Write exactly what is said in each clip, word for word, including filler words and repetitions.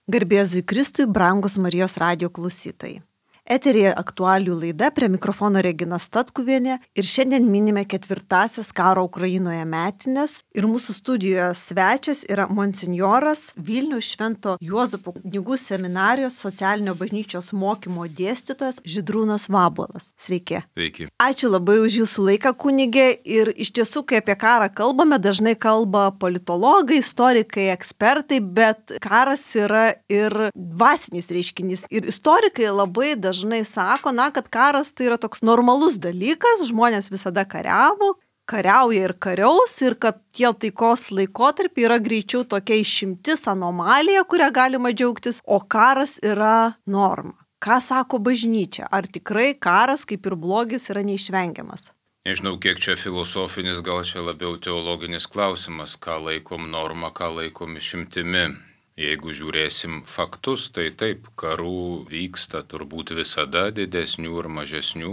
Garbėzui Kristui, brangus Marijos radijo klausytojai. Eterėje aktualijų laida, prie mikrofono Regina Statkuvienė ir šiandien minime ketvirtasias karo Ukrainoje metinės ir mūsų studijoje svečias yra monsinjoras Vilniaus Švento Juozapo kunigų seminarijos socialinio bažnyčios mokymo dėstytojas Žydrūnas Vabuolas. Sveiki. Sveiki. Ačiū labai už jūsų laiką, kunigė, ir iš tiesų, kai apie karą kalbame, dažnai kalba politologai, istorikai, ekspertai, bet karas yra ir dvasinis reiškinys ir istorikai labai dažnai dažnai sako, na, kad karas tai yra toks normalus dalykas, žmonės visada kariavo, kariauja ir kariaus, ir kad tie taikos laikotarpiai yra greičiau tokia išimtis, anomalija, kurią galima džiaugtis, o karas yra norma. Ką sako bažnyčia? Ar tikrai karas, kaip ir blogis, yra neišvengiamas? Nežinau, kiek čia filosofinis, gal čia labiau teologinis klausimas, ką laikom norma, ką laikom išimtimi. Jeigu žiūrėsim faktus, tai taip, karų vyksta turbūt visada didesnių ir mažesnių.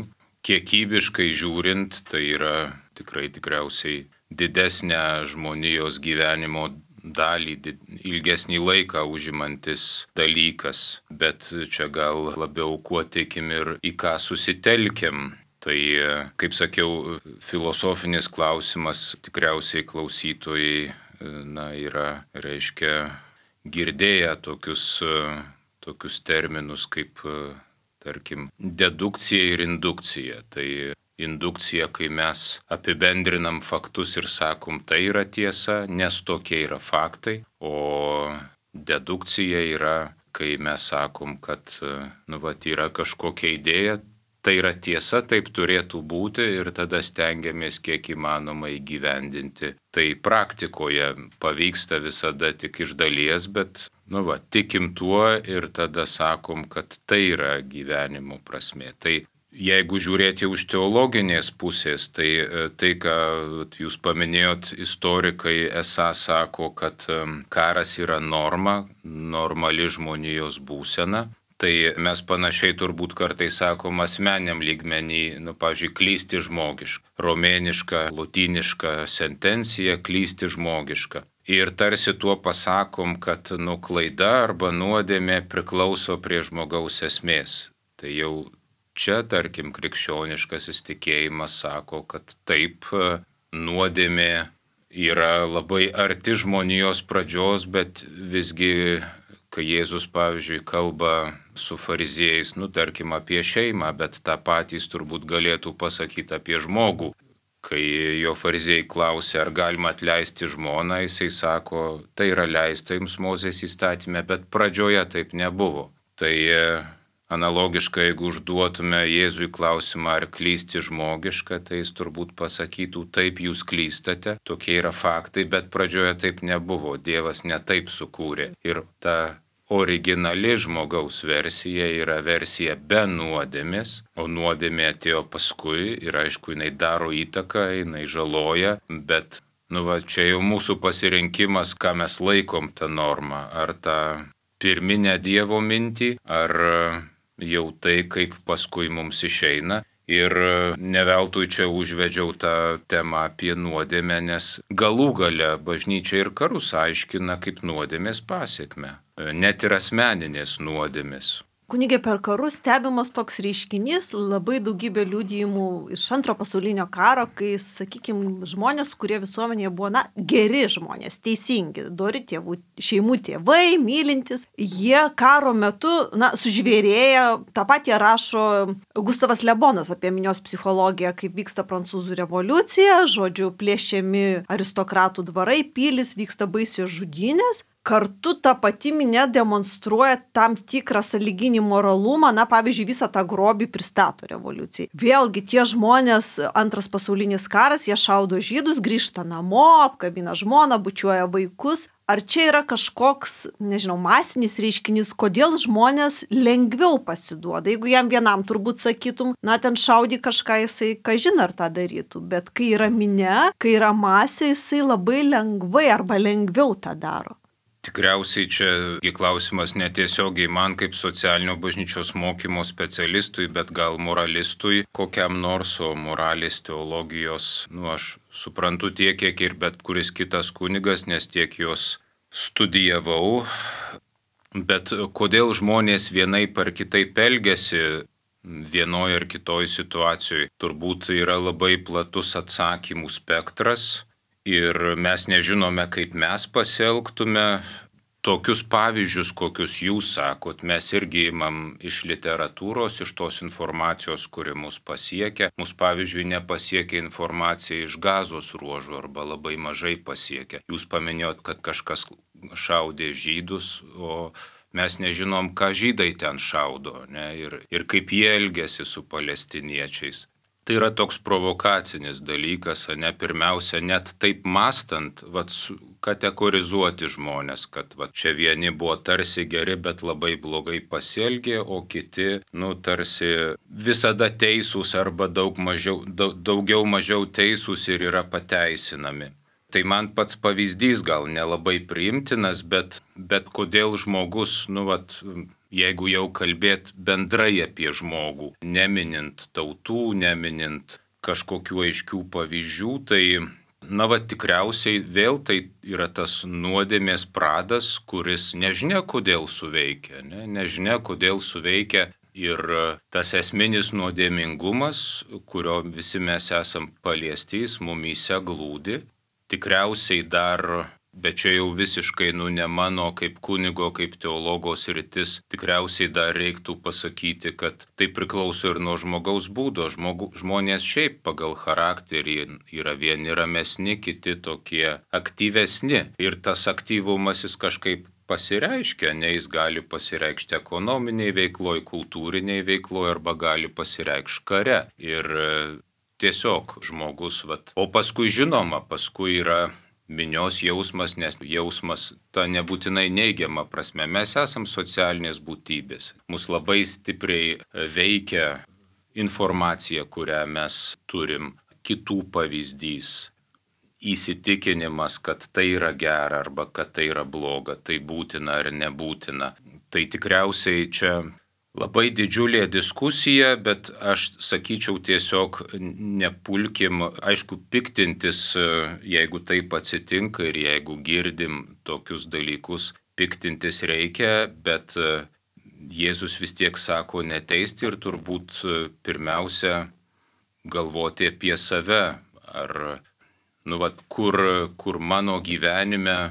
Kiekybiškai žiūrint, tai yra tikrai tikriausiai didesnę žmonijos gyvenimo dalį, ilgesnį laiką užimantis dalykas. Bet čia gal labiau kuo tikim ir į ką susitelkiam. Tai, kaip sakiau, filosofinis klausimas tikriausiai klausytojai, na, yra, reiškia, girdėję tokius, tokius terminus kaip, tarkim, dedukcija ir indukcija. Tai indukcija, kai mes apibendrinam faktus ir sakom, tai yra tiesa, nes tokie yra faktai, o dedukcija yra, kai mes sakom, kad, nu, vat, yra kažkokia idėja, tai yra tiesa, taip turėtų būti ir tada stengiamės kiek įmanoma įgyvendinti. Tai praktikoje pavyksta visada tik iš dalies, bet, nu va, tikim tuo ir tada sakom, kad tai yra gyvenimo prasmė. Tai jeigu žiūrėti už teologinės pusės, tai tai, ką jūs paminėjot, istorikai esą sako, kad karas yra norma, normali žmonijos būsena. Tai mes panašiai turbūt kartais sakom asmeniam lygmenį, nu, pavyzdžiui, klysti žmogiška. Romėniška, lotyniška sentencija klysti žmogiška. Ir tarsi tuo pasakom, kad, nu, klaida arba nuodėmė priklauso prie žmogaus esmės. Tai jau čia, tarkim, krikščioniškasis tikėjimas sako, kad taip, nuodėmė yra labai arti žmonijos pradžios, bet visgi, kai Jėzus, pavyzdžiui, kalba su fariziejais, nu, tarkim, apie šeimą, bet tą patys turbūt galėtų pasakyti apie žmogų. Kai jo fariziejai klausė, ar galima atleisti žmoną, jisai sako, tai yra leista jums Mozės įstatyme, bet pradžioje taip nebuvo. Tai analogiškai, jeigu užduotume Jėzui klausimą, ar klysti žmogiška, tai jis turbūt pasakytų, taip jūs klystate, tokie yra faktai, bet pradžioje taip nebuvo, Dievas ne taip sukūrė. Ir ta originali žmogaus versija yra versija be nuodėmės, o nuodėmė atėjo paskui ir aišku, jinai daro įtaką, jinai žaloja, bet, nu va, čia jau mūsų pasirinkimas, ką mes laikom tą normą, ar tą pirminę Dievo mintį, ar jau tai, kaip paskui mums išeina. Ir neveltui čia užvedžiau tą temą apie nuodėmę, nes galų gale bažnyčia ir karus aiškina kaip nuodėmės pasekmę, net ir asmeninės nuodėmės. Kunigė, per karus stebimas toks reiškinys, labai daugybė liudijimų iš antro pasaulinio karo, kai, sakykime, žmonės, kurie visuomenėje buvo, na, geri žmonės, teisingi, dori tėvų, šeimų tėvai, mylintys, jie karo metu, na, sužvėrėję, tą patį rašo Gustavas Lebonas apie minios psichologiją, kaip vyksta prancūzų revoliucija, žodžiu, plėšiami aristokratų dvarai, pilis, vyksta baisios žudynės. Kartu ta pati minia demonstruoja tam tikrą sąlyginį moralumą, na, pavyzdžiui, visą tą grobį pristato revoliucijai. Vėlgi, tie žmonės, antras pasaulinis karas, jie šaudo žydus, grįžta namo, apkabina žmoną, bučiuoja vaikus. Ar čia yra kažkoks, nežinau, masinis reiškinys, kodėl žmonės lengviau pasiduoda? Jeigu jam vienam turbūt sakytum, na, ten šaudį kažką, jisai kažin ar tą darytų, bet kai yra minia, kai yra masė, jisai labai lengvai arba lengviau tą daro. Tikriausiai čia klausimas netiesiogiai man kaip socialinio bažnyčios mokymo specialistui, bet gal moralistui kokiam nors, o moralės teologijos, nu aš suprantu tiek, kiek ir bet kuris kitas kunigas, nes tiek jos studijavau. Bet kodėl žmonės vienaip ar kitaip elgiasi vienoje ar kitoje situacijoje, turbūt yra labai platus atsakymų spektras ir mes nežinome, kaip mes pasielgtume. Tokius pavyzdžius, kokius jūs sakot, mes irgi imam iš literatūros, iš tos informacijos, kuri mus pasiekia. Mus pavyzdžiui nepasiekia informacija iš Gazos ruožų arba labai mažai pasiekia. Jūs paminėjot, kad kažkas šaudė žydus, o mes nežinom, ką žydai ten šaudo, ne? ir, ir kaip jie elgėsi su palestiniečiais. Tai yra toks provokacinis dalykas, ne pirmiausia, net taip mastant, vat, kategorizuoti žmonės, kad vat, čia vieni buvo tarsi geri, bet labai blogai pasielgė, o kiti, nu, tarsi visada teisūs arba daug mažiau, daug, daugiau mažiau teisūs ir yra pateisinami. Tai man pats pavyzdys gal nelabai priimtinas, bet, bet kodėl žmogus, nu, vat, jeigu jau kalbėt bendrai apie žmogų, neminint tautų, neminint kažkokių aiškių pavyzdžių, tai, na, va, tikriausiai vėl tai yra tas nuodėmės pradas, kuris nežinia kodėl suveikia, ne? nežinia kodėl suveikia ir tas esminis nuodėmingumas, kurio visi mes esam paliesti, jis mumyse glūdi, tikriausiai dar. Bet čia jau visiškai, nu, ne mano kaip kunigo, kaip teologo sritis, tikriausiai dar reiktų pasakyti, kad tai priklauso ir nuo žmogaus būdo. Žmogu, žmonės šiaip pagal charakterį yra vieni ramesni, kiti tokie aktyvesni. Ir tas aktyvumas jis kažkaip pasireiškia, ne jis gali pasireikšti ekonominiai veikloj, kultūriniai veikloj arba gali pasireikšti kare. Ir tiesiog žmogus, vat. O paskui žinoma, paskui yra minios jausmas, nes jausmas ta nebūtinai neigiama prasme. Mes esam socialinės būtybės. Mus labai stipriai veikia informacija, kurią mes turim, kitų pavyzdys, įsitikinimas, kad tai yra gera arba kad tai yra bloga, tai būtina ar nebūtina. Tai tikriausiai čia labai didžiulė diskusija, bet aš sakyčiau tiesiog nepulkim, aišku, piktintis, jeigu taip atsitinka ir jeigu girdim tokius dalykus, piktintis reikia, bet Jėzus vis tiek sako neteisti ir turbūt pirmiausia galvoti apie save, ar, nu, vat, kur, kur mano gyvenime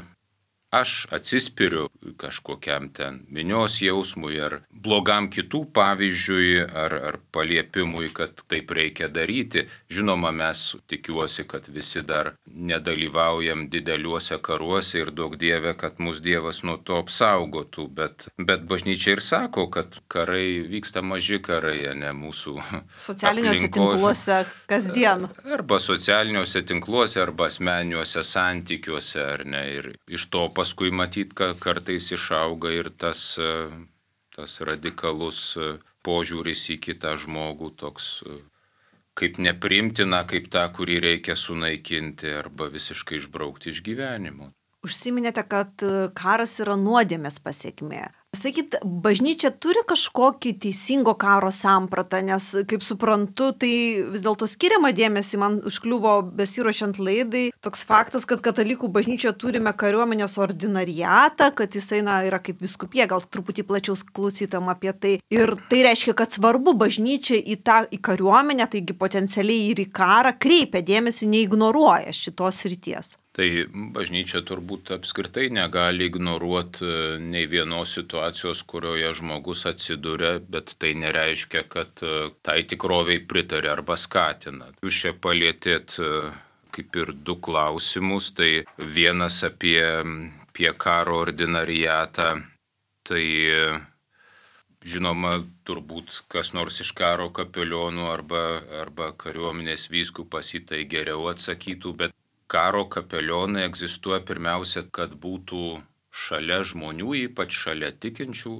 aš atsispiriu kažkokiam ten minios jausmui ar blogam kitų pavyzdžiui ar, ar paliepimui, kad taip reikia daryti. Žinoma, mes tikiuosi, kad visi dar nedalyvaujam dideliuose karuose ir daug Dieve, kad mus Dievas nuo to apsaugotų, bet, bet bažnyčia ir sako, kad karai vyksta maži karai, ne mūsų socialiniuose aplinkos, tinkluose kasdien. Arba socialiniuose tinkluose, arba asmeniniuose santykiuose, ar ne, ir iš to paskui matyt, kad kartais išauga ir tas, tas radikalus požiūris į kitą žmogų, toks kaip nepriimtina, kaip tą, kurį reikia sunaikinti arba visiškai išbraukti iš gyvenimo. Užsiminėte, kad karas yra nuodėmės pasekmė. Sakyt, bažnyčia turi kažkokį teisingo karo sampratą, nes, kaip suprantu, tai vis dėlto skiriama dėmesį, man užkliuvo besiruošiant laidai toks faktas, kad katalikų bažnyčioje turime kariuomenės ordinariatą, kad jisai na, yra kaip viskupija, gal truputį plačiau klausytojam apie tai. Ir tai reiškia, kad svarbu bažnyčia į tą į kariuomenę, taigi potencialiai ir į karą kreipia dėmesį, neignoruoja šitos srities. Tai bažnyčia turbūt apskritai negali ignoruoti nei vienos situacijos, kurioje žmogus atsiduria, bet tai nereiškia, kad tai tikroviai pritarė arba skatina. Jūs čia palietėt kaip ir du klausimus, tai vienas apie, apie karo ordinariatą, tai žinoma, turbūt kas nors iš karo kapelionų arba, arba kariuomenės vyskupas į tai geriau atsakytų, bet karo kapelionai egzistuoja pirmiausia, kad būtų šalia žmonių, ypač šalia tikinčių,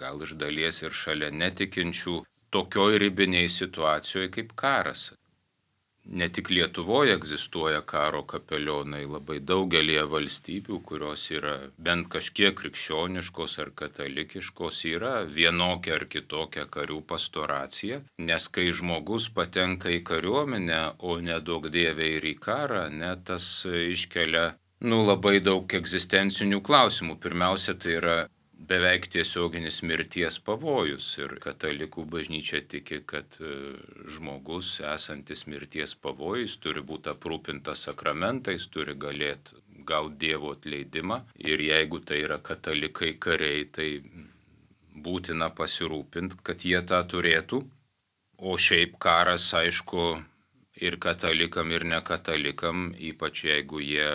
gal iš dalies ir šalia netikinčių, tokioj ribiniai situacijoje kaip karas. Ne tik Lietuvoje egzistuoja karo kapelionai, labai daugelie valstybių, kurios yra bent kažkiek krikščioniškos ar katalikiškos, yra vienokia ar kitokia karių pastoracija, nes kai žmogus patenka į kariuomenę, o nedaug Dieve ir į karą, ne, tas iškelia nu, labai daug egzistencinių klausimų. Pirmiausia, tai yra beveik tiesioginis mirties pavojus. Ir katalikų bažnyčia tiki, kad žmogus esantis mirties pavojus turi būti aprūpintas sakramentais, turi galėti gauti Dievo atleidimą. Ir jeigu tai yra katalikai kariai, tai būtina pasirūpinti, kad jie tą turėtų. O šiaip karas, aišku, ir katalikam, ir nekatalikam, ypač jeigu jie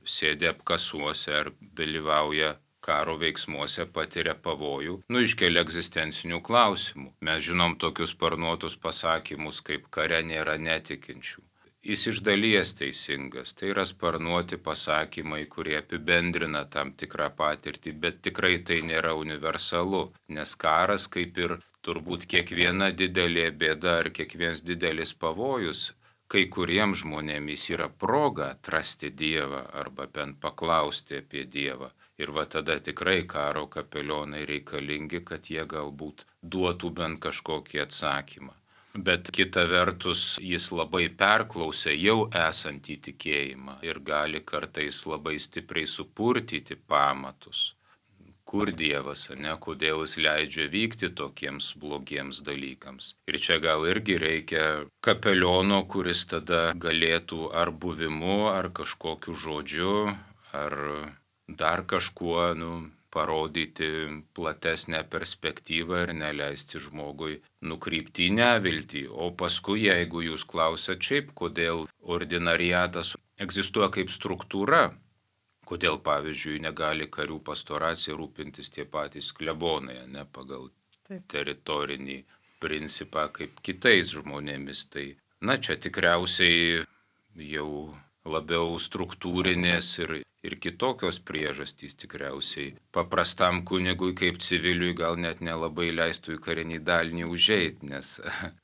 sėdi apkasuose ar dalyvauja karo veiksmuose, patiria pavojų, nu iškelia egzistencinių klausimų. Mes žinom tokius sparnuotus pasakymus, kaip kare nėra netikinčių. Jis iš dalies teisingas, tai yra sparnuoti pasakymai, kurie apibendrina tam tikrą patirtį, bet tikrai tai nėra universalu, nes karas, kaip ir turbūt kiekviena didelė bėda ar kiekvienas didelis pavojus, kai kuriems žmonėms yra proga atrasti Dievą arba bent paklausti apie Dievą. Ir va tada tikrai karo kapelionai reikalingi, kad jie galbūt duotų bent kažkokį atsakymą. Bet kita vertus, jis labai perklausė jau esantį tikėjimą ir gali kartais labai stipriai supurtyti pamatus. Kur Dievas, ne, kodėl jis leidžia vykti tokiems blogiems dalykams. Ir čia gal irgi reikia kapeliono, kuris tada galėtų ar buvimu, ar kažkokiu žodžiu, ar dar kažkuo, nu, parodyti platesnę perspektyvą ir neleisti žmogui nukrypti į neviltį. O paskui, jeigu jūs klausat šiaip, kodėl ordinariatas egzistuoja kaip struktūra, kodėl, pavyzdžiui, negali karių pastoracija rūpintis tie patys klebonai, ne pagal Taip. teritorinį principą kaip kitais žmonėmis. Tai, na, čia tikriausiai jau labiau struktūrinės ir, ir kitokios priežastys tikriausiai. Paprastam kunigui kaip civiliui gal net nelabai leistų į karinį dalinį užeiti, nes,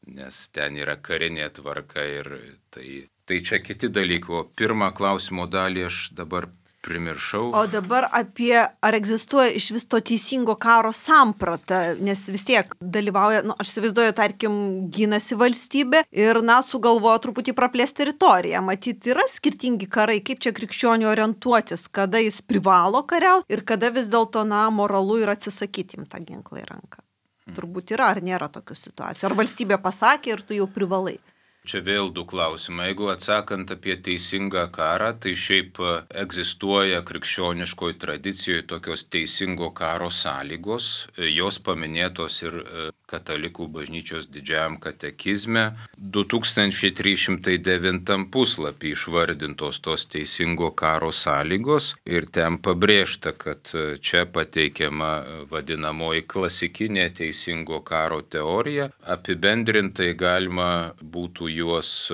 nes ten yra karinė tvarka ir tai, tai čia kiti dalykai. O pirmą klausimo dalį aš dabar primiršau. O dabar apie, ar egzistuoja iš vis to teisingo karo samprata, nes vis tiek dalyvauja, nu, aš įsivaizduoju, tarkim, gynasi valstybė ir, na, sugalvojo truputį praplėsti teritoriją. Matyt, yra skirtingi karai, kaip čia krikščionių orientuotis, kada jis privalo kariauti ir kada vis dėlto, na, moralu yra atsisakyti imti tą ginklą į ranką. Hmm. Turbūt yra, ar nėra tokių situacijų. Ar valstybė pasakė ir tu jau privalai. Čia vėl du klausimai. Jeigu atsakant apie teisingą karą, tai šiaip egzistuoja krikščioniškoje tradicijoje tokios teisingo karo sąlygos. Jos paminėtos ir katalikų bažnyčios didžiajam katekizme. du tūkstančiai trys šimtai devintam puslapį išvardintos tos teisingo karo sąlygos ir ten pabrėžta, kad čia pateikiama vadinamoji klasikinė teisingo karo teorija. Apibendrintai galima būtų juos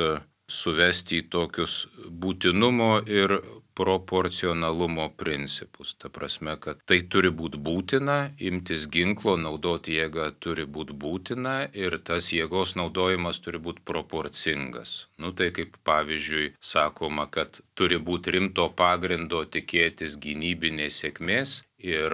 suvesti į tokius būtinumo ir proporcionalumo principus. Ta prasme, kad tai turi būti būtina, imtis ginklo, naudoti jėgą turi būti būtina ir tas jėgos naudojimas turi būti proporcingas. Nu tai kaip pavyzdžiui sakoma, kad turi būti rimto pagrindo tikėtis gynybinės sėkmės ir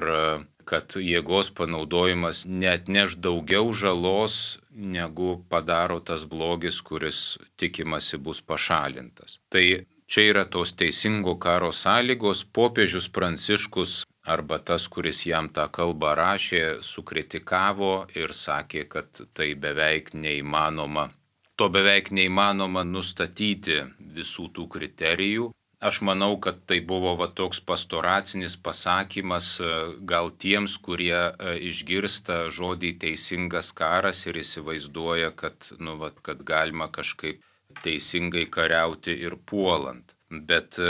kad jėgos panaudojimas neatneš daugiau žalos, negu padaro tas blogis, kuris tikimasi bus pašalintas. Tai čia yra tos teisingo karo sąlygos. Popiežius Pranciškus arba tas, kuris jam tą kalbą rašė, sukritikavo ir sakė, kad tai beveik neįmanoma. To beveik neįmanoma nustatyti visų tų kriterijų. Aš manau, kad tai buvo va toks pastoracinis pasakymas gal tiems, kurie išgirsta žodį teisingas karas ir įsivaizduoja, kad, nu, va, kad galima kažkaip teisingai kariauti ir puolant. Bet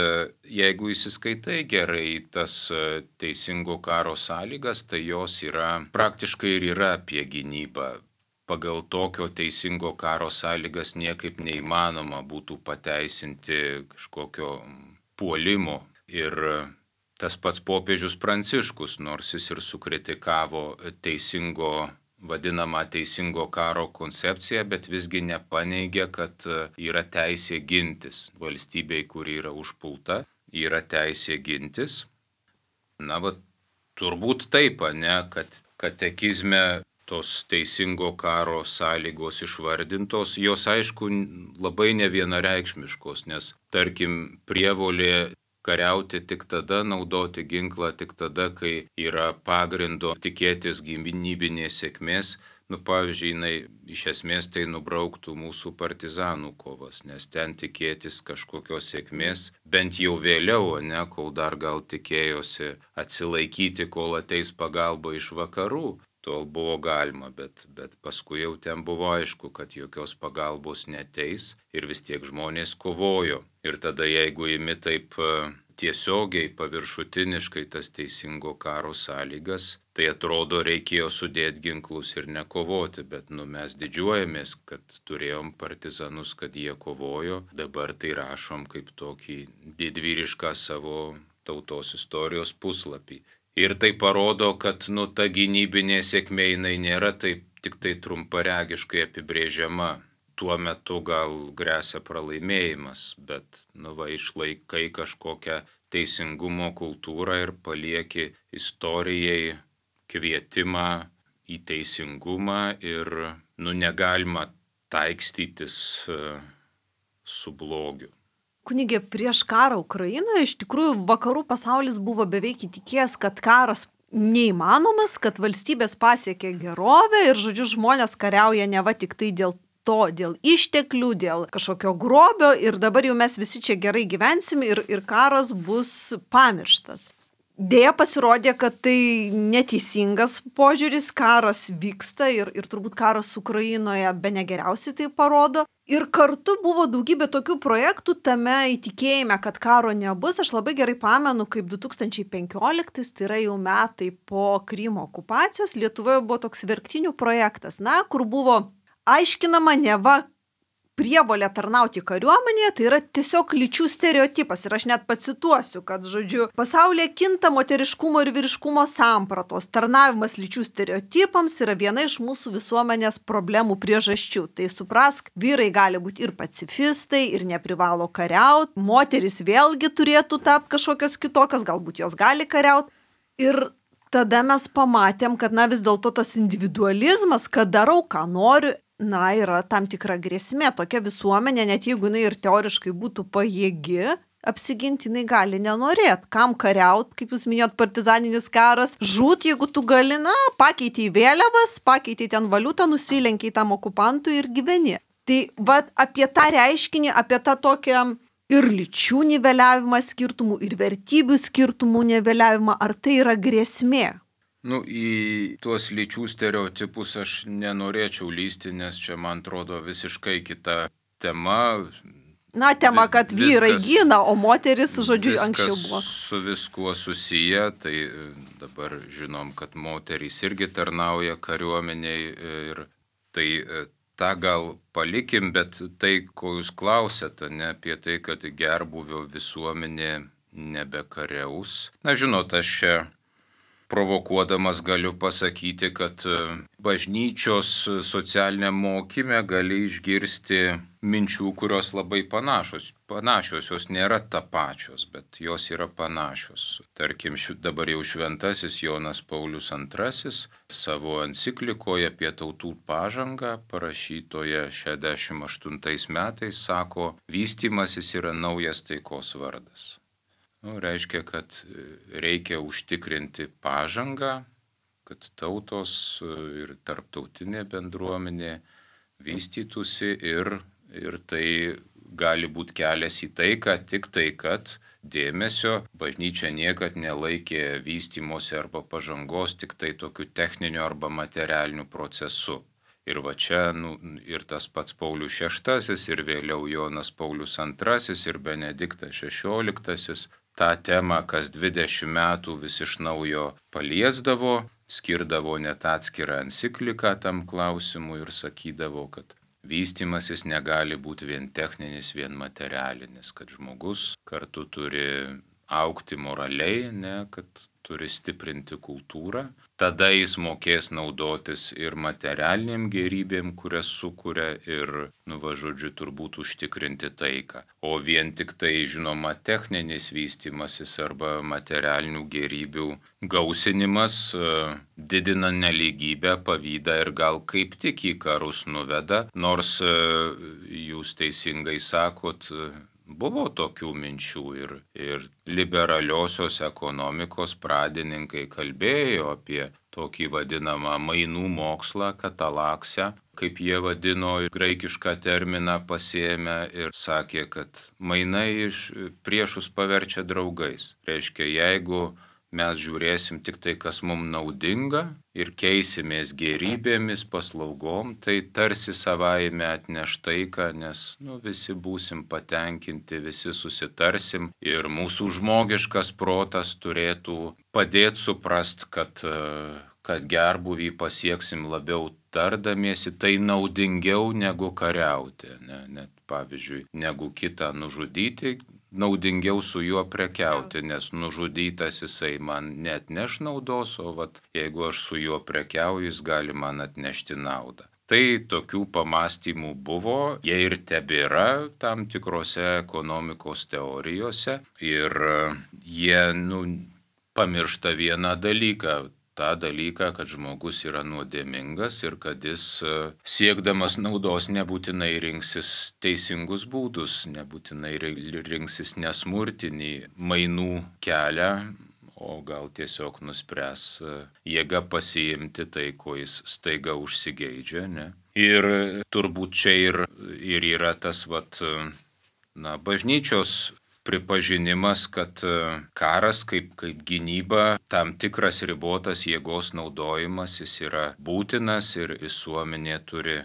jeigu įsiskaitai gerai tas teisingo karo sąlygas, tai jos yra praktiškai ir yra apie gynybą. Pagal tokio teisingo karo sąlygas niekaip neįmanoma būtų pateisinti kažkokio puolimo. Ir tas pats popiežius Pranciškus, nors jis ir sukritikavo teisingo, vadinamą teisingo karo koncepciją, bet visgi nepaneigė, kad yra teisė gintis. Valstybei, kuri yra užpulta, yra teisė gintis. Na, va, turbūt taip, ne, kad katekizme tos teisingo karo sąlygos išvardintos, jos aišku labai nevienareikšmiškos, nes tarkim prievolė kariauti tik tada, naudoti ginklą tik tada, kai yra pagrindo tikėtis gynybinės sėkmės. Nu, pavyzdžiui, jinai iš esmės tai nubrauktų mūsų partizanų kovas, nes ten tikėtis kažkokios sėkmės, bent jau vėliau, ne, kol dar gal tikėjosi atsilaikyti, kol ateis pagalba iš vakarų, tol buvo galima, bet, bet paskui jau ten buvo aišku, kad jokios pagalbos neteis ir vis tiek žmonės kovojo. Ir tada jeigu imi taip tiesiogiai, paviršutiniškai tas teisingo karo sąlygas, tai atrodo reikėjo sudėti ginklus ir nekovoti, bet nu, mes didžiuojamės, kad turėjom partizanus, kad jie kovojo, dabar tai rašom kaip tokį didvyrišką savo tautos istorijos puslapį. Ir tai parodo, kad nu, ta gynybinė sėkmė jinai nėra taip tik tai trumparegiškai apibrėžiama. Tuo metu gal gresia pralaimėjimas, bet nu, va, išlaikai kažkokią teisingumo kultūrą ir palieki istorijai kvietimą į teisingumą ir nu, negalima taikstytis uh, su blogiu. Kunigė, prieš karą Ukrainoje iš tikrųjų vakarų pasaulis buvo beveik įtikėjęs, kad karas neįmanomas, kad valstybės pasiekė gerovę ir, žodžiu, žmonės kariauja neva tik tai dėl to, dėl išteklių, dėl kažkokio grobio ir dabar jau mes visi čia gerai gyvensime ir, ir karas bus pamirštas. Deja pasirodė, kad tai neteisingas požiūris, karas vyksta ir, ir turbūt karas Ukrainoje bene geriausiai tai parodo. Ir kartu buvo daugybė tokių projektų tame įtikėjime, kad karo nebus. Aš labai gerai pamenu, kaip du tūkstančiai penkioliktais, tai yra jau metai po Krymo okupacijos, Lietuvoje buvo toks verktinių projektas, na, kur buvo aiškinama neva prievolė tarnauti kariuomenėje, tai yra tiesiog lyčių stereotipas. Ir aš net pacituosiu, kad, žodžiu, pasaulyje kinta moteriškumo ir vyriškumo sampratos. Tarnavimas lyčių stereotipams yra viena iš mūsų visuomenės problemų priežasčių. Tai suprask, vyrai gali būti ir pacifistai, ir neprivalo kariauti. Moteris vėlgi turėtų tapti kažkokios kitokios, galbūt jos gali kariauti. Ir tada mes pamatėm, kad na vis dėlto tas individualizmas, kad darau, ką noriu, na, yra tam tikra grėsmė. Tokia visuomenė, net jeigu jinai ir teoriškai būtų pajėgi apsiginti, jinai gali nenorėti. Kam kariaut, kaip jūs minėjot, partizaninis karas, žūt, jeigu tu gali, na, pakeitė į vėliavas, pakeitė ten valiutą, nusilenkiai tam okupantui ir gyveni. Tai va apie tą reiškinį, apie tą tokią ir lyčių niveliavimą skirtumų, ir vertybių skirtumų niveliavimą, ar tai yra grėsmė? Nu, į tuos lyčių stereotipus aš nenorėčiau lysti, nes čia, man atrodo, visiškai kita tema. Na, tema, kad vyrai gina, o moteris, žodžiu, anksčiau buvo. Viskas su viskuo susiję, tai dabar žinom, kad moterys irgi tarnauja kariuomeniai ir tai tą gal palikim, bet tai, ko jūs klausėte, ne apie tai, kad gerbūvio visuomenė nebekariaus. Na, žinot, aš čia provokuodamas galiu pasakyti, kad bažnyčios socialiniam mokyme gali išgirsti minčių, kurios labai panašios. Panašios, jos nėra tapačios, bet jos yra panašios. Tarkim, dabar jau šventasis Jonas Paulius antrasis savo enciklikoje apie tautų pažangą, parašytoje šešiasdešimt aštuntais metais, sako, vystymasis yra naujas taikos vardas. Nu, reiškia, kad reikia užtikrinti pažangą, kad tautos ir tarptautinė bendruomenė vystytųsi ir, ir tai gali būti kelias į taiką, tik tai, kad dėmesio bažnyčia niekad nelaikė vystymosi arba pažangos tik tai tokiu techniniu arba materialiniu procesu. Ir va čia nu, ir tas pats Paulius šeštasis, ir vėliau Jonas Paulius antrasis, ir Benediktas šešioliktasis tą temą kas dvidešimt metų vis iš naujo paliesdavo, skirdavo net atskirą encikliką tam klausimui ir sakydavo, kad vystymasis negali būti vien techninis, vien materialinis, kad žmogus kartu turi augti moraliai, ne, kad turi stiprinti kultūrą, tada jis mokės naudotis ir materialiniam gerybėm, kurias sukuria ir, nu va žodžiu, turbūt užtikrinti taiką. O vien tik tai, žinoma, techninis vystymasis arba materialinių gerybių gausinimas didina nelygybę, pavydą ir gal kaip tik į karus nuveda, nors jūs teisingai sakot, buvo tokių minčių ir, ir liberaliosios ekonomikos pradininkai kalbėjo apie tokį vadinamą mainų mokslą, katalaksę, kaip jie vadino, graikišką terminą pasiėmė ir sakė, kad mainai iš priešus paverčia draugais. Reiškia, jeigu mes žiūrėsim tik tai, kas mums naudinga ir keisimės gerybėmis, paslaugom, tai tarsi savaime atneš taiką, nes nu, visi būsim patenkinti, visi susitarsim ir mūsų žmogiškas protas turėtų padėti suprast, kad, kad gerbuvį pasieksim labiau tardamiesi, tai naudingiau negu kariauti, ne? Net pavyzdžiui, negu kitą nužudyti, naudingiau su juo prekiauti, nes nužudytas jisai man net neš naudos, o vat, jeigu aš su juo prekiauju, jis gali man atnešti naudą. Tai tokių pamastymų buvo, jie ir tebėra tam tikrose ekonomikos teorijose ir jie nu, pamiršta vieną dalyką. tą dalyką, kad žmogus yra nuodėmingas ir kad jis siekdamas naudos nebūtinai rinksis teisingus būdus, nebūtinai rinksis nesmurtinį mainų kelią, o gal tiesiog nuspręs jėga pasiimti tai, ko jis staiga užsigeidžia. Ne? Ir turbūt čia ir, ir yra tas vat, na, bažnyčios pripažinimas, kad karas kaip, kaip gynyba, tam tikras ribotas jėgos naudojimas, jis yra būtinas ir visuomenė turi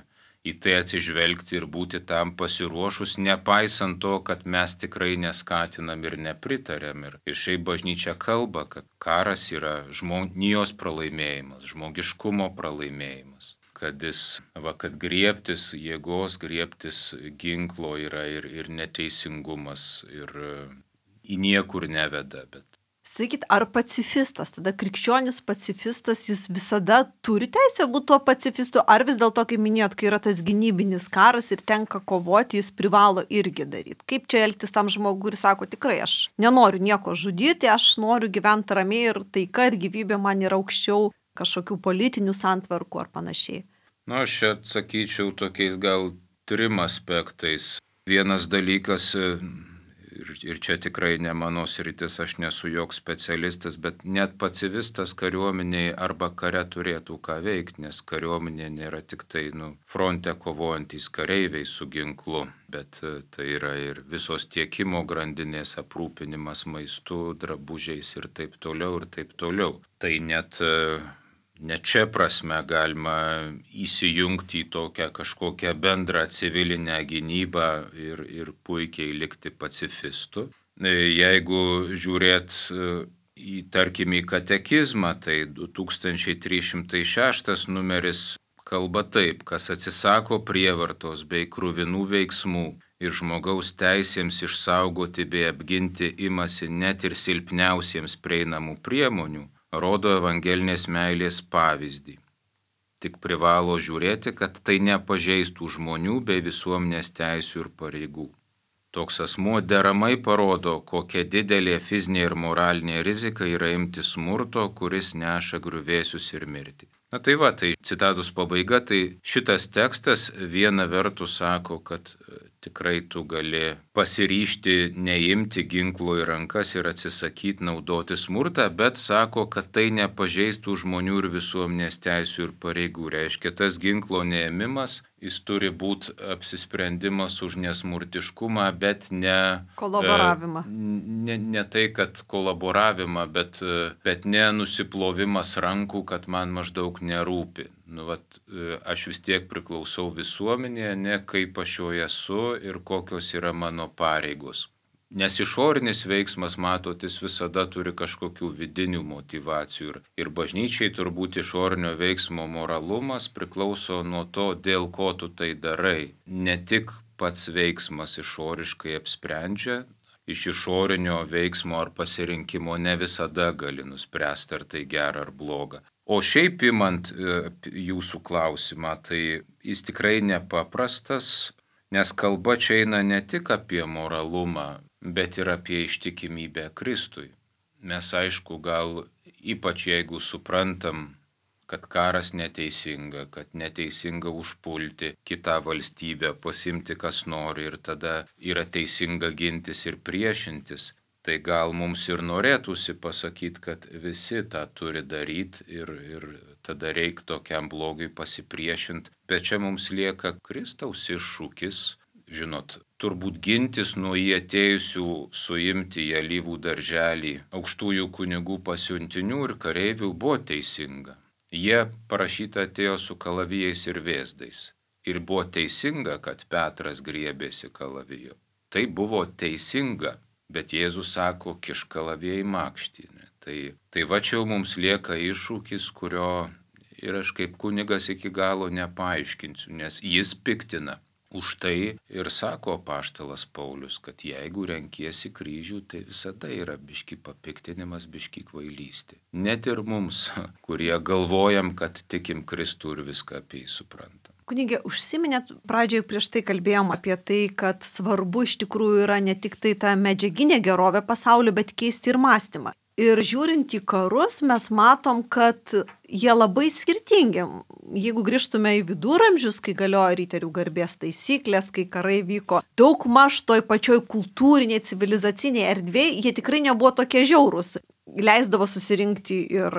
į tai atsižvelgti ir būti tam pasiruošus, nepaisant to, kad mes tikrai neskatinam ir nepritarėm. Ir, ir šiaip bažnyčia kalba, kad karas yra žmonijos pralaimėjimas, žmogiškumo pralaimėjimas. Kad jis, va, kad griebtis jėgos, griebtis ginklo yra ir, ir neteisingumas ir į niekur neveda. Bet... Sakykit, ar pacifistas, tada krikščionis pacifistas, jis visada turi teisę būti tuo pacifistu, ar vis dėlto, kaip minėjot, kai yra tas gynybinis karas ir tenka kovoti, jis privalo irgi daryti? Kaip čia elgtis tam žmogui ir sako, tikrai aš nenoriu nieko žudyti, aš noriu gyventi ramiai ir taika ir gyvybė man yra aukščiau kažkokių politinių santvarkų ar panašiai? Nu, aš čia atsakyčiau tokiais gal trim aspektais. Vienas dalykas, ir, ir čia tikrai ne mano sritis, aš nesu joks specialistas, bet net pacifistas kariuomeniai arba kare turėtų ką veikti, nes kariuomenė nėra tik tai nu, fronte kovojantys kareiviai su ginklu, bet tai yra ir visos tiekimo grandinės aprūpinimas maistu, drabužiais ir taip toliau ir taip toliau. Tai net... Net čia prasme galima įsijungti į tokią kažkokią bendrą civilinę gynybą ir, ir puikiai likti pacifistu. Jeigu žiūrėt į, tarkim, į katekizmą, tai du tūkstančiai trys šimtai šeštas numeris kalba taip, kas atsisako prievartos bei kruvinų veiksmų ir žmogaus teisėms išsaugoti bei apginti imasi net ir silpniausiems prieinamų priemonių, rodo evangelinės meilės pavyzdį. Tik privalo žiūrėti, kad tai nepažeistų žmonių bei visuomenės teisių ir pareigų. Toks asmuo deramai parodo, kokia didelė fizinė ir moralinė rizika yra imti smurto, kuris neša griuvėsius ir mirtį. Na tai va, tai citatos pabaiga, tai šitas tekstas viena vertus sako, kad tikrai tu gali pasiryžti neimti ginklo į rankas ir atsisakyti naudoti smurtą, bet sako, kad tai nepažeistų žmonių ir visuomenės teisių ir pareigų. Reiškia, tas ginklo neėmimas, jis turi būti apsisprendimas už nesmurtiškumą, bet ne... Kolaboravimą. Ne, ne tai, kad kolaboravimą, bet, bet ne nusiplovimas rankų, kad man maždaug nerūpi. Nu, vat, aš vis tiek priklausau visuomenėje, ne kaip aš joje esu ir kokios yra mano pareigos. Nes išorinis veiksmas, matotis, visada turi kažkokių vidinių motivacijų. Ir, ir bažnyčiai turbūt išorinio veiksmo moralumas priklauso nuo to, dėl ko tu tai darai. Ne tik pats veiksmas išoriškai apsprendžia, iš išorinio veiksmo ar pasirinkimo ne visada gali nuspręsti, ar tai gera ar bloga. O šiaip imant jūsų klausimą, tai jis tikrai nepaprastas, nes kalba čia eina ne tik apie moralumą, bet ir apie ištikimybę Kristui. Mes aišku, gal ypač jeigu suprantam kad karas neteisinga, kad neteisinga užpulti kitą valstybę, pasimti kas nori ir tada yra teisinga gintis ir priešintis. Tai gal mums ir norėtųsi pasakyti, kad visi tą turi daryti ir, ir tada reikia tokiam blogiui pasipriešinti. Bet čia mums lieka Kristaus iššūkis, žinot, turbūt gintis nuo jį atėjusių suimti į alyvų darželį aukštųjų kunigų pasiuntinių ir kareivių buvo teisinga. Jie parašyta atėjo su kalavijais ir vėzdais. Ir buvo teisinga, kad Petras griebėsi kalavijo. Tai buvo teisinga. Bet Jėzus sako, kiš kalaviją į makštį. Tai, tai va čia mums lieka iššūkis, kurio ir aš kaip kunigas iki galo nepaaiškinsiu, nes jis piktina. Už tai ir sako apaštalas Paulius, kad jeigu renkiesi kryžių, tai visada yra biški papiktinimas, biški kvailystė. Net ir mums, kurie galvojam, kad tikim Kristų ir viską apie jį suprantam. Kunigė, užsiminėt, pradžioje prieš tai kalbėjom apie tai, kad svarbu iš tikrųjų yra ne tik tai ta medžiaginė gerovė pasaulio, bet keisti ir mąstymą. Ir žiūrint į karus, mes matom, kad jie labai skirtingi. Jeigu grįžtume į viduramžius, kai galiojo riterių garbės taisyklės, kai karai vyko daug maž toj pačioj kultūrinėje, civilizacinėje erdvėje, jie tikrai nebuvo tokie žiaurūs. Leisdavo susirinkti ir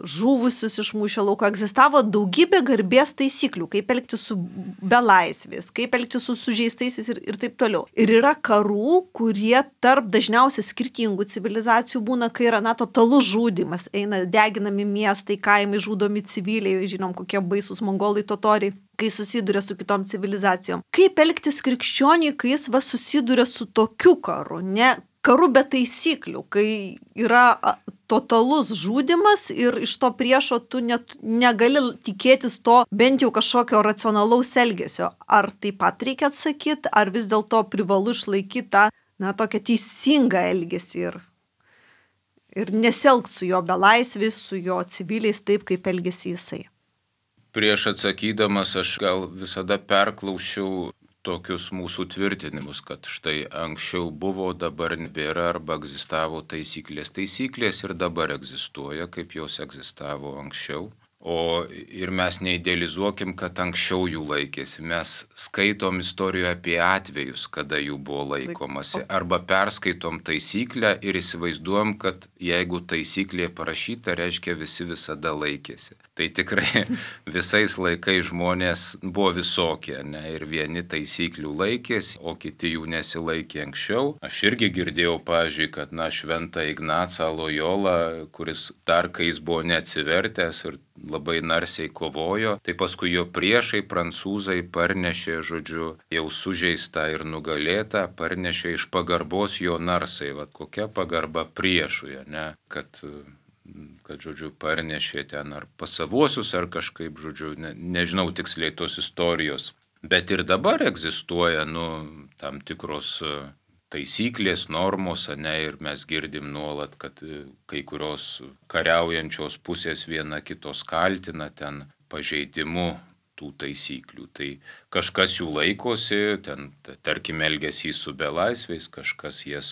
žuvusius iš mūšio lauko. Egzistavo daugybė garbės taisyklių, kaip elgtis su belaisvės, kaip elgtis su sužeistaisiais ir, ir taip toliau. Ir yra karų, kurie tarp dažniausiai skirtingų civilizacijų būna, kai yra na totalus žudymas, eina deginami miestai, kaimai, žudomi civiliai, žinom kokie baisūs mongolai totoriai, kai susiduria su kitom civilizacijom. Kaip elgtis krikščioniui, kai jis va susiduria su tokiu karu, ne karu be taisyklių, kai yra totalus žudymas ir iš to priešo tu net negali tikėtis to bent jau kažkokio racionalaus elgesio. Ar taip pat reikia atsakyti, ar vis dėlto privalu išlaikyti tą na, tokią teisingą elgesį ir, ir nesielgti su jo belaisviais, su jo civiliais taip, kaip elgesi jisai. Prieš atsakydamas aš gal visada perklausiau tokius mūsų tvirtinimus, kad štai anksčiau buvo, dabar nebėra arba egzistavo taisyklės. Taisyklės ir dabar egzistuoja, kaip jos egzistavo anksčiau. O ir mes neidealizuokim, kad anksčiau jų laikėsi. Mes skaitom istorijoje apie atvejus, kada jų buvo laikomasi. Arba perskaitom taisyklę ir įsivaizduojam, kad jeigu taisyklė parašyta, reiškia visi visada laikėsi. Tai tikrai visais laikais žmonės buvo visokie, ne? Ir vieni taisyklių laikėsi, o kiti jų nesilaikė anksčiau. Aš irgi girdėjau, pavyzdžiui, kad na, šventą Ignacą Lojolą, kuris dar kai jis buvo neatsivertęs ir labai narsiai kovojo, tai paskui jo priešai prancūzai parnešė, žodžiu, jau sužeistą ir nugalėtą, parnešė iš pagarbos jo narsai. Vat kokia pagarba priešui, ne? Kad, kad, žodžiu, parnešė ten ar pasavuosius, ar kažkaip, žodžiu, ne, nežinau tiksliai tos istorijos. Bet ir dabar egzistuoja, nu, tam tikros taisyklės, normos, ne, ir mes girdim nuolat, kad kai kurios kariaujančios pusės viena kitos kaltina ten pažeidimu tų taisyklių. Tai kažkas jų laikosi, ten, tarkim, elgesį su belaisviais, kažkas jas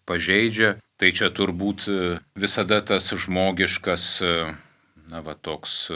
pažeidžia. Tai čia turbūt visada tas žmogiškas, na, va, toks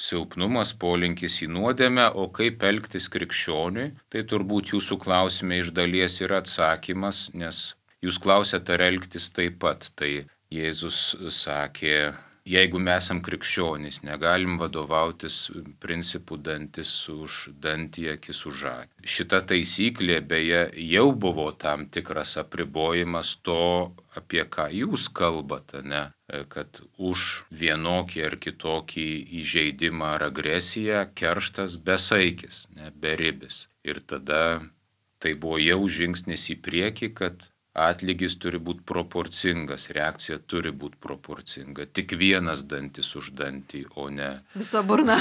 silpnumas, polinkis į nuodėmę, o kaip elgtis krikščioniui, tai turbūt jūsų klausime iš dalies yra atsakymas, nes jūs klausėte, ar elgtis taip pat. Tai Jėzus sakė, jeigu mes esam krikščionys, negalim vadovautis principų dantis už dantį, akis už akį. Šita taisyklė beje jau buvo tam tikras apribojimas to, apie ką jūs kalbate, ne? Kad už vienokį ar kitokį įžeidimą ar agresiją kerštas besaikis, ne, beribis. Ir tada tai buvo jau žingsnis į priekį, kad atlygis turi būti proporcingas, reakcija turi būti proporcinga. Tik vienas dantis už dantį, o ne visa burna.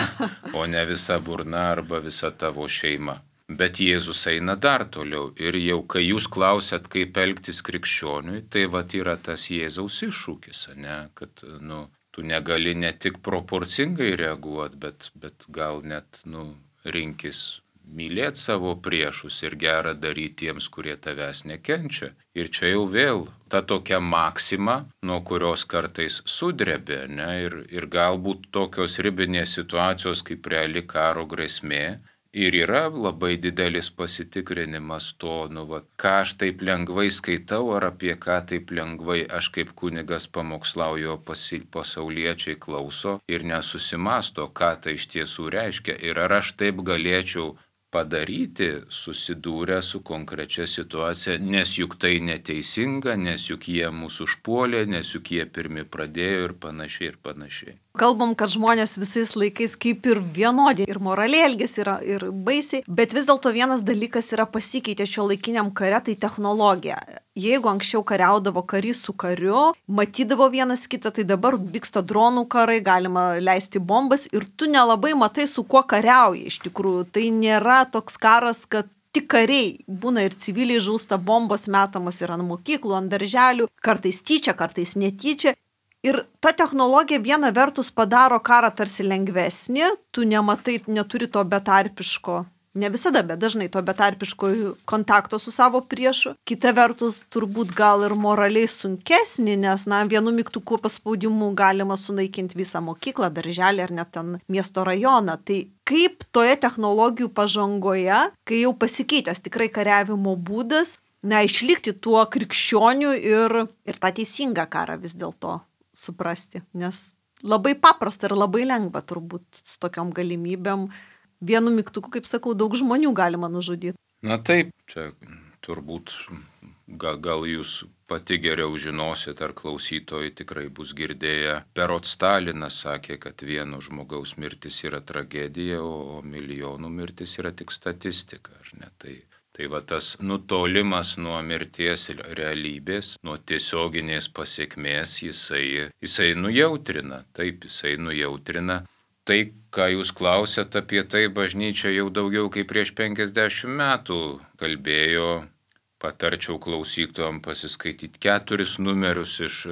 o ne visa burna arba visa tavo šeima. Bet Jėzus eina dar toliau. Ir jau kai jūs klausėt, kaip elgtis krikščioniui, tai vat yra tas Jėzaus iššūkis, ne? Kad nu, tu negali ne tik proporcingai reaguoti, bet, bet gal net nu, rinkis mylėti savo priešus ir gerą daryti tiems, kurie tavęs nekenčia. Ir čia jau vėl ta tokia maksima, nuo kurios kartais sudrebė, ne? Ir, ir galbūt tokios ribinės situacijos kaip reali karo grėsmė ir yra labai didelis pasitikrinimas to, nu, va, ką aš taip lengvai skaitau ar apie ką taip lengvai aš kaip kunigas pamokslauju, pasi, pasauliečiai klauso ir nesusimasto, ką tai iš tiesų reiškia ir ar aš taip galėčiau padaryti, susidūrę su konkrečia situacija, nes juk tai neteisinga, nes juk jie mūsų užpuolė, nes juk jie pirmi pradėjo ir panašiai ir panašiai. Kalbam, kad žmonės visais laikais kaip ir vienodi ir moraliai elgesi yra ir baisiai, bet vis dėlto vienas dalykas yra pasikeitę šio laikiniam kare, tai technologija. Jeigu anksčiau kariaudavo karys su kariu, matydavo vienas kitą, tai dabar vyksta dronų karai, galima leisti bombas ir tu nelabai matai, su kuo kariauji iš tikrųjų. Tai nėra toks karas, kad tik kariai, būna ir civiliai žūsta, bombos metamos ir ant mokyklų, ant darželių, kartais tyčia, kartais netyčia. Ir ta technologija viena vertus padaro karą tarsi lengvesnį, tu nematai, neturi to betarpiško, ne visada, bet dažnai to betarpiško kontakto su savo priešu. Kita vertus turbūt gal ir moraliai sunkesnį, nes na, vienu mygtuku paspaudimu galima sunaikinti visą mokyklą, darželį ar net ten miesto rajoną. Tai kaip toje technologijų pažangoje, kai jau pasikeitęs tikrai kariavimo būdas, na, išlikti tuo krikščioniu ir, ir tą teisingą karą vis dėlto suprasti, nes labai paprasta ir labai lengva turbūt su tokiom galimybėm. Vienu mygtuku, kaip sakau, daug žmonių galima nužudyti. Na taip, čia turbūt gal, gal jūs pati geriau žinosit, ar klausytojai tikrai bus girdėję. Berods Stalinas sakė, kad vieno žmogaus mirtis yra tragedija, o milijonų mirtis yra tik statistika, ar ne? Tai Tai va tas nutolimas nuo mirties realybės, nuo tiesioginės pasiekmės, jisai, jisai nujautrina, taip, jisai nujautrina. Tai, ką jūs klausėt apie tai, bažnyčia jau daugiau kaip prieš penkiasdešimt metų kalbėjo, patarčiau klausytojams pasiskaityti keturis numerius iš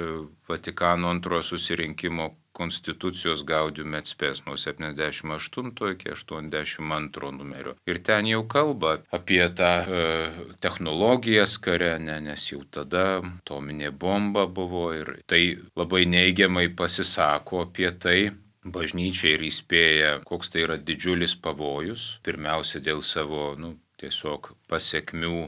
Vatikano antrojo susirinkimo Konstitucijos Gaudium et Spes nuo septyniasdešimt aštunto iki aštuoniasdešimt antro numerio. Ir ten jau kalba apie tą e, technologijas kare, ne, nes jau tada atominė bomba buvo ir tai labai neigiamai pasisako apie tai. Bažnyčia ir įspėja, koks tai yra didžiulis pavojus, pirmiausia dėl savo nu, tiesiog pasiekmių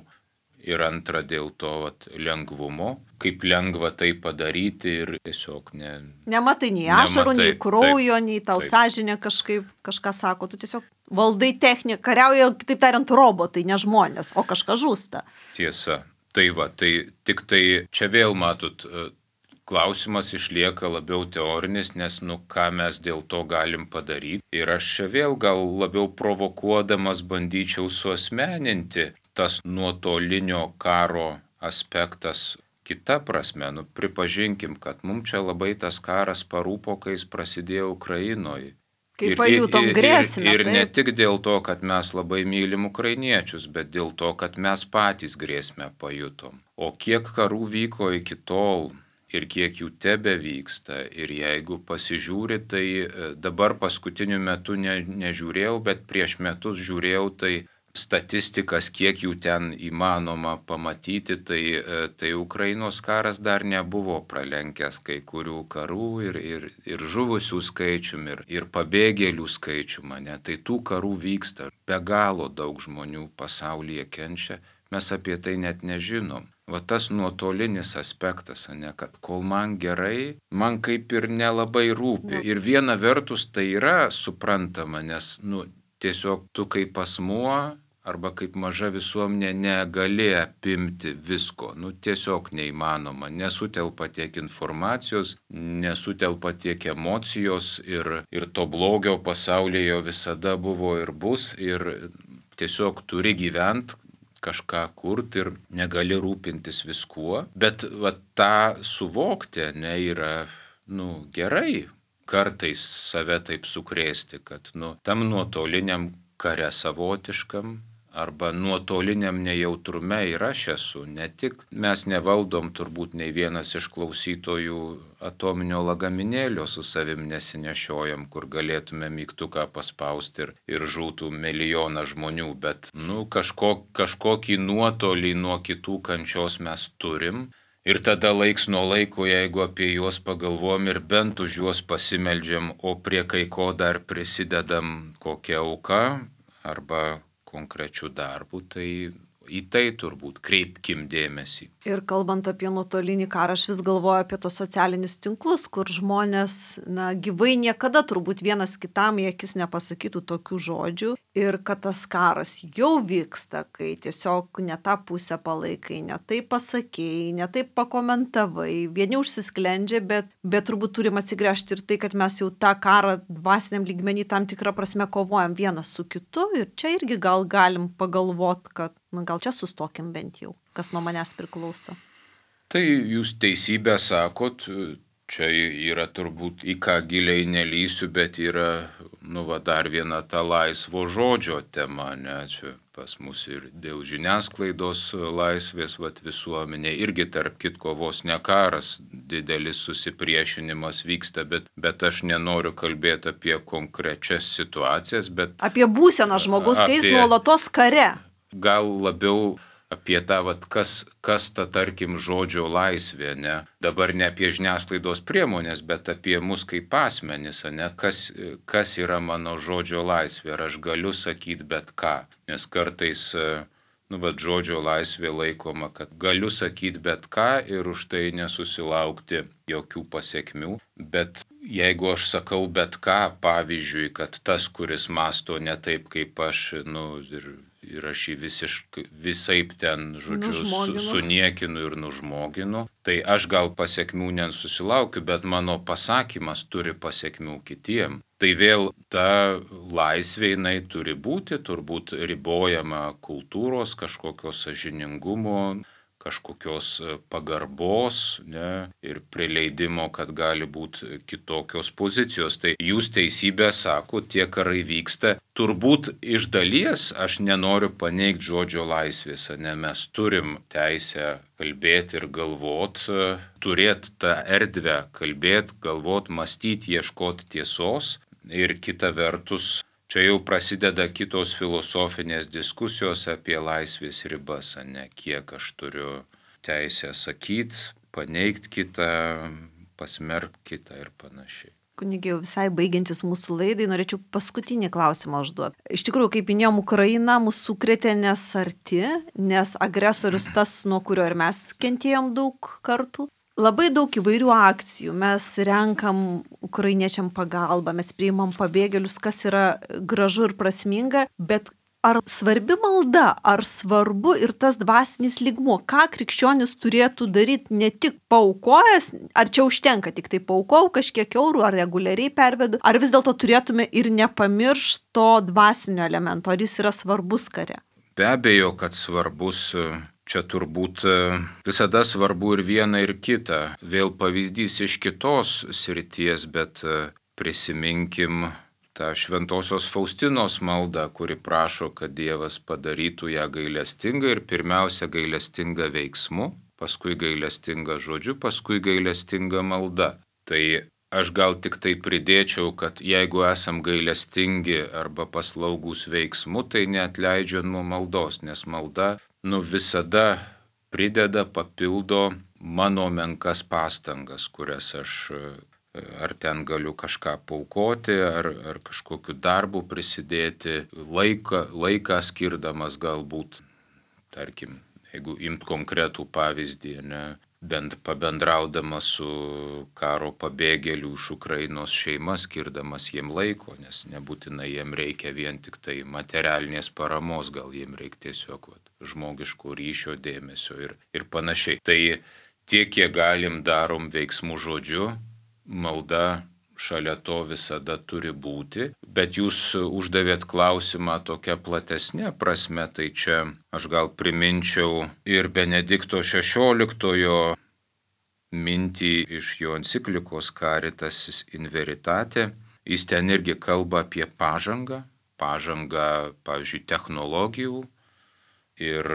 ir antra dėl to vat, lengvumo, kaip lengva tai padaryti ir tiesiog ne... Nematai nei ašarų, nei kraujo, nei tau taip. Sąžinė kažkaip kažką sako, tu tiesiog valdai techniką, kariauja, kitaip tariant, robotai, ne žmonės, o kažkas žūsta. Tiesa, tai va, tai tik tai čia vėl matot, klausimas išlieka labiau teorinis, nes nu ką mes dėl to galim padaryti. Ir aš čia vėl gal labiau provokuodamas bandyčiau suasmeninti tas nuotolinio karo aspektas kita prasme. Nu, pripažinkim, kad mums čia labai tas karas parūpo, kai jis prasidėjo Ukrainoje. Kai pajutom grėsmę. Ir, ir, ir ne tik dėl to, kad mes labai mylim ukrainiečius, bet dėl to, kad mes patys grėsmę pajutom. O kiek karų vyko iki tol ir kiek jų tebe vyksta. Ir jeigu pasižiūri, tai dabar paskutiniu metu ne, nežiūrėjau, bet prieš metus žiūrėjau, tai statistikas, kiek jų ten įmanoma pamatyti, tai, tai Ukrainos karas dar nebuvo pralenkęs kai kurių karų ir, ir, ir žuvusių skaičium, ir, ir pabėgėlių skaičium. Ne? Tai tų karų vyksta. Be galo daug žmonių pasaulyje kenčia. Mes apie tai net nežinom. Va tas nuotolinis aspektas, ne, kad kol man gerai, man kaip ir nelabai rūpi. Ir viena vertus tai yra suprantama, nes nu, tiesiog tu kaip asmuo arba kaip maža visuomenė negali apimti visko. Nu, tiesiog neįmanoma. Nesutelpa tiek informacijos, nesutelpa tiek emocijos ir, ir to blogio pasaulyje visada buvo ir bus. Ir tiesiog turi gyventi, kažką kurti ir negali rūpintis viskuo. Bet va, tą suvokti ne, yra nu, gerai. Kartais save taip sukrėsti, kad nu, tam nuotoliniam kare savotiškam arba nuotoliniam nejautrume ir aš esu. Ne tik mes nevaldom turbūt nei vienas iš klausytojų atominio lagaminėlio su savim nesinešiojam, kur galėtume mygtuką paspausti ir, ir žūtų milijoną žmonių, bet nu, kažko, kažkokį nuotolį nuo kitų kančios mes turim. Ir tada laiks nuo laiko, jeigu apie juos pagalvom ir bent už juos pasimeldžiam, o prie kai ko dar prisidedam kokią auką arba konkrečių darbų, tai į tai turbūt kreipkim dėmesį. Ir kalbant apie nuotolinį karą, aš vis galvoju apie tos socialinius tinklus, kur žmonės, na, gyvai niekada turbūt vienas kitam į akis nepasakytų tokių žodžių. Ir kad tas karas jau vyksta, kai tiesiog ne tą pusę palaikai, ne taip pasakėjai, ne taip pakomentavai, vieni užsisklendžia, bet, bet turbūt turim atsigręžti ir tai, kad mes jau tą karą dvasiniam lygmenį tam tikrą prasme kovojam vienas su kitu. Ir čia irgi gal galim pagalvot, kad na, gal čia sustokim bent jau, kas nuo manęs priklauso. Tai jūs teisybę sakot, čia yra turbūt į ką giliai nelysiu, bet yra, nu, va, dar viena ta laisvo žodžio tema, ne, čia pas mus ir dėl žiniasklaidos laisvės, va, visuomenė, irgi tarp kitko vos ne karas, didelis susipriešinimas vyksta, bet, bet aš nenoriu kalbėti apie konkrečias situacijas, bet... Apie būseną žmogus, apie... kai jis nuolatos kare. Gal labiau apie tą, vat, kas, kas ta, tarkim, žodžio laisvė, ne? Dabar ne apie žiniasklaidos priemonės, bet apie mus kaip asmenis, ne? Kas, kas yra mano žodžio laisvė, ar aš galiu sakyti bet ką. Nes kartais, nu, vat, žodžio laisvė laikoma, kad galiu sakyti bet ką ir už tai nesusilaukti jokių pasiekmių. Bet jeigu aš sakau bet ką, pavyzdžiui, kad tas, kuris mąsto ne taip kaip aš, nu, ir... ir aš jį visiškai, visaip ten, žodžiu, su, suniekinu ir nužmoginu, tai aš gal pasiekmių nesusilaukiu, bet mano pasakymas turi pasiekmių kitiem. Tai vėl ta laisvė jinai turi būti, turbūt ribojama kultūros, kažkokios sąžiningumo, kažkokios pagarbos, ne, ir prileidimo, kad gali būti kitokios pozicijos. Tai jūs teisybę sako, tie karai vyksta. Turbūt iš dalies aš nenoriu paneigti žodžio laisvės, ne, mes turim teisę kalbėti ir galvot, turėti tą erdvę kalbėti, galvot, mąstyti, ieškoti tiesos. Ir kita vertus, čia jau prasideda kitos filosofinės diskusijos apie laisvės ribas, ne, kiek aš turiu teisę sakyti, paneigti kitą, pasmerkti kitą ir panašiai. Kunigė, visai baigiantis mūsų laidai, norėčiau paskutinį klausimą užduoti. Iš tikrųjų, kaip minėjom, Ukraina mūsų sukrėtė nes arti, nes agresorius tas, nuo kurio ir mes kentėjom daug kartų. Labai daug įvairių akcijų, mes renkam ukrainiečiam pagalbą, mes priimam pabėgėlius, kas yra gražu ir prasminga, bet ar svarbi malda, ar svarbu ir tas dvasinis lygmuo, ką krikščionis turėtų daryti ne tik paukojęs, ar čia užtenka tik tai paukau kažkiek eurų, ar reguliariai pervedu, ar vis dėlto turėtume ir nepamiršti to dvasinio elemento, ar jis yra svarbus kare? Be abejo, kad svarbus. Čia turbūt visada svarbu ir viena, ir kita. Vėl pavyzdys iš kitos srities, bet prisiminkim tą šventosios Faustinos maldą, kuri prašo, kad Dievas padarytų ją gailestingą ir pirmiausia gailestingą veiksmu, paskui gailestingą žodžiu, paskui gailestingą malda. Tai aš gal tik tai pridėčiau, kad jeigu esam gailestingi arba paslaugus veiksmu, tai neatleidžia nuo maldos, nes malda nu visada prideda, papildo mano menkas pastangas, kurias aš ar ten galiu kažką paukoti, ar, ar kažkokiu darbu prisidėti, laiką, laiką skirdamas galbūt, tarkim, jeigu imt konkretų pavyzdį, ne, bent pabendraudamas su karo pabėgėlių iš Ukrainos šeima, skirdamas jiem laiko, nes nebūtinai jiem reikia vien tik tai materialinės paramos, gal jiem reikia tiesiog vat, žmogiško ryšio, dėmesio ir, ir panašiai. Tai tiek, kiek galim, darom veiksmų žodžiu, malda šalia to visada turi būti, bet jūs uždavėt klausimą tokia platesnė prasme, tai čia aš gal priminčiau ir Benedikto šešioliktojo mintį iš jo enciklikos Caritas in Veritate. Jis ten irgi kalba apie pažangą, pažangą, pavyzdžiui, technologijų ir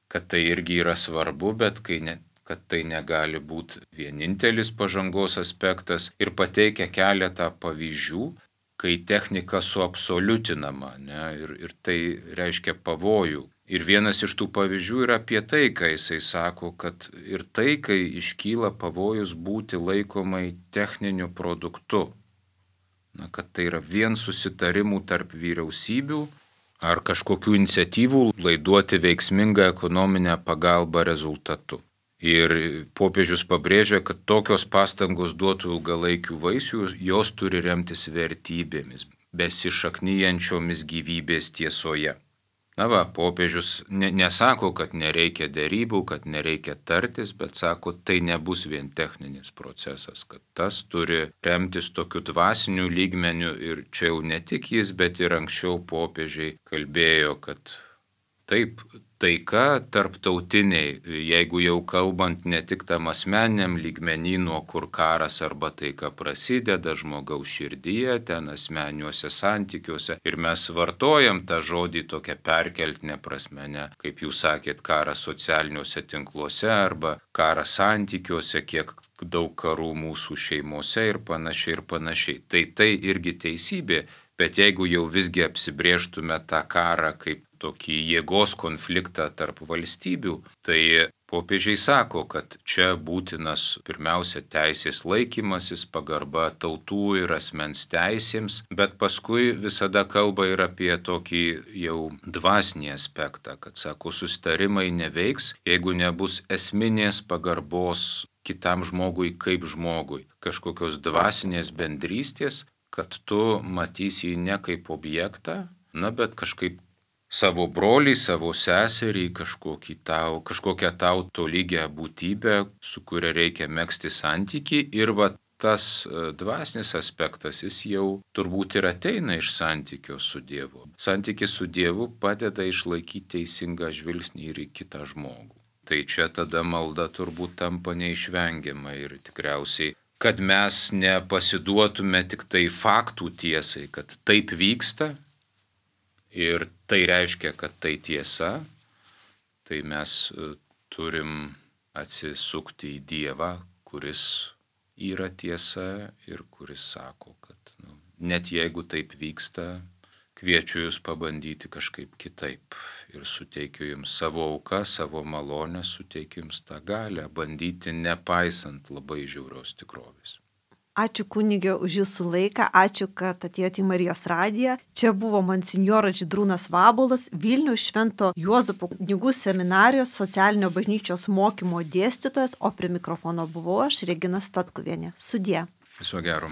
kad tai irgi yra svarbu, bet kai ne, kad tai negali būti vienintelis pažangos aspektas ir pateikia keletą pavyzdžių, kai technika suabsoliutinama, ne, ir, ir tai reiškia pavojų. Ir vienas iš tų pavyzdžių yra apie tai, kai jisai sako, kad ir tai, kai iškyla pavojus būti laikomai techniniu produktu. Na, kad tai yra vien susitarimų tarp vyriausybių ar kažkokių iniciatyvų laiduoti veiksmingą ekonominę pagalbą rezultatu. Ir popiežius pabrėžia, kad tokios pastangos duotų ilgalaikių vaisių, jos turi remtis vertybėmis, besišaknyjančiomis gyvybės tiesoje. Na va, popiežius ne, nesako, kad nereikia derybų, kad nereikia tartis, bet sako, tai nebus vien techninis procesas, kad tas turi remtis tokiu dvasiniu lygmeniu ir čia jau ne tik jis, bet ir anksčiau popiežiai kalbėjo, kad taip, taika tarptautiniai, jeigu jau kalbant ne tik tam asmeniniam lygmenį, nuo kur karas arba taika prasideda žmogaus širdyje, ten asmeniniuose santykiuose. Ir mes vartojam tą žodį tokią perkeltinę prasme, ne, kaip jūs sakėt, karas socialiniuose tinkluose arba karas santykiuose, kiek daug karų mūsų šeimose ir panašiai ir panašiai. Tai tai irgi teisybė, bet jeigu jau visgi apsibrėžtume tą karą kaip tokį jėgos konfliktą tarp valstybių, tai popiežiai sako, kad čia būtinas pirmiausia teisės laikymasis, pagarba tautų ir asmens teisėms, bet paskui visada kalba ir apie tokį jau dvasinį aspektą, kad sako, susitarimai neveiks, jeigu nebus esminės pagarbos kitam žmogui kaip žmogui, kažkokios dvasinės bendrystės, kad tu matysi jį ne kaip objektą, na, bet kažkaip savo brolį, savo seserį, kažkokį tau, kažkokią tau tolygią būtybę, su kuria reikia megzti santykį. Ir va tas dvasinis aspektas, jis jau turbūt ir ateina iš santykio su Dievu. Santykis su Dievu padeda išlaikyti teisingą žvilgsnį ir į kitą žmogų. Tai čia tada malda turbūt tampa neišvengiama ir tikriausiai, kad mes nepasiduotume tik tai faktų tiesai, kad taip vyksta, ir tai reiškia, kad tai tiesa, tai mes turim atsisukti į Dievą, kuris yra tiesa ir kuris sako, kad nu, net jeigu taip vyksta, kviečiu jūs pabandyti kažkaip kitaip ir suteikiu jums savo auką, savo malonę, suteikiu jums tą galią bandyti nepaisant labai žiaurios tikrovės. Ačiū kunige už jūsų laiką, ačiū, kad atėjote į Marijos radiją. Čia buvo monsinjoras Žydrūnas Vabuolas, Vilniaus Švento Juozapo kunigų seminarijos socialinio bažnyčios mokymo dėstytojas, o prie mikrofono buvau aš, Regina Statkuvienė. Sudie. Viso gero.